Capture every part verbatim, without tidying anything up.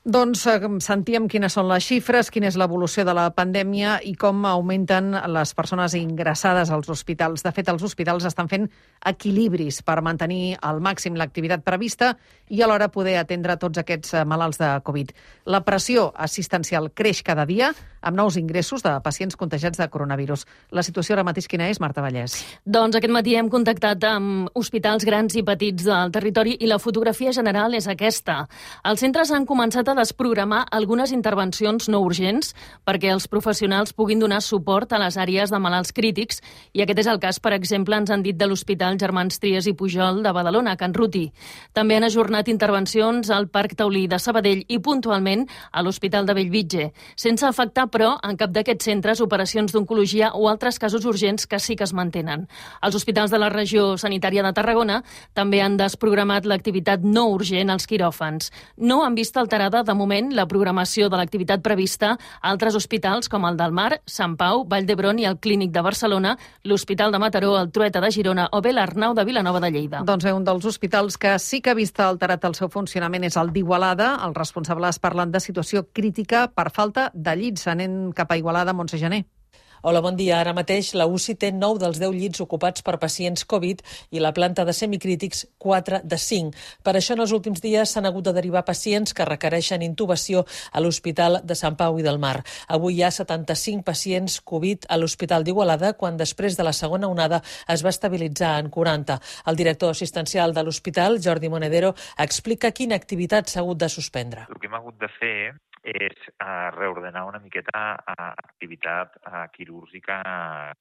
Doncs eh, sentíem quines són les xifres, quina és l'evolució de la pandèmia i com augmenten les persones ingressades als hospitals. De fet, els hospitals estan fent equilibris per mantenir al màxim l'activitat prevista i alhora poder atendre tots aquests malalts de Covid. La pressió assistencial creix cada dia amb nous ingressos de pacients contagiats de coronavirus. La situació ara mateix quina és, Marta Vallès? Doncs aquest matí hem contactat amb hospitals grans i petits del territori i la fotografia general és aquesta. Els centres han començat a desprogramar algunes intervencions no urgents perquè els professionals puguin donar suport a les àrees de malalts crítics i aquest és el cas, per exemple, ens han dit de l'Hospital Germans Trias i Pujol de Badalona, Can Ruti. També han ajornat intervencions al Parc Taulí de Sabadell i puntualment a l'Hospital de Bellvitge, sense afectar, però, en cap d'aquests centres operacions d'oncologia o altres casos urgents que sí que es mantenen. Els hospitals de la regió sanitària de Tarragona també han desprogramat l'activitat no urgent als quiròfans. No han vist alterada, de moment, la programació de l'activitat prevista a altres hospitals com el del Mar, Sant Pau, Vall d'Hebron i el Clínic de Barcelona, l'Hospital de Mataró, el Trueta de Girona o bé l'Arnau de Vilanova de Lleida. Doncs bé, un dels hospitals que sí que ha vist alterat el seu funcionament és el d'Igualada. Els responsables parlen de situació crítica per falta de llits. Anem cap a Igualada, Montse Gené. Hola, bon dia. Ara mateix la U C I té nou dels deu llits ocupats per pacients Covid i la planta de semicrítics quatre de cinc. Per això en els últims dies s'han hagut de derivar pacients que requereixen intubació a l'Hospital de Sant Pau i del Mar. Avui hi ha setanta-cinc pacients Covid a l'Hospital d'Igualada, quan després de la segona onada es va estabilitzar en quaranta. El director assistencial de l'hospital, Jordi Monedero, explica quina activitat s'ha hagut de suspendre. El que hem hagut de fer és uh, reordenar una miqueta uh, activitat uh, quirúrgica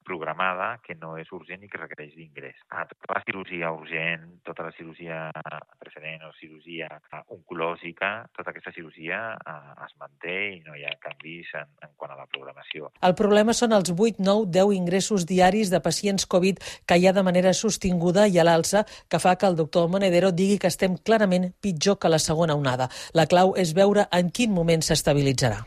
programada que no és urgent i que requereix d'ingrés. Uh, tota la cirurgia urgent, tota la cirurgia preferent o cirurgia uh, oncològica, tota aquesta cirurgia uh, es manté i no hi ha canvis en, en quant a la programació. El problema són els vuit, nou, deu ingressos diaris de pacients Covid que hi ha de manera sostinguda i a l'alça, que fa que el doctor Monedero digui que estem clarament pitjor que la segona onada. La clau és veure en quin moment s'estabilitzarà.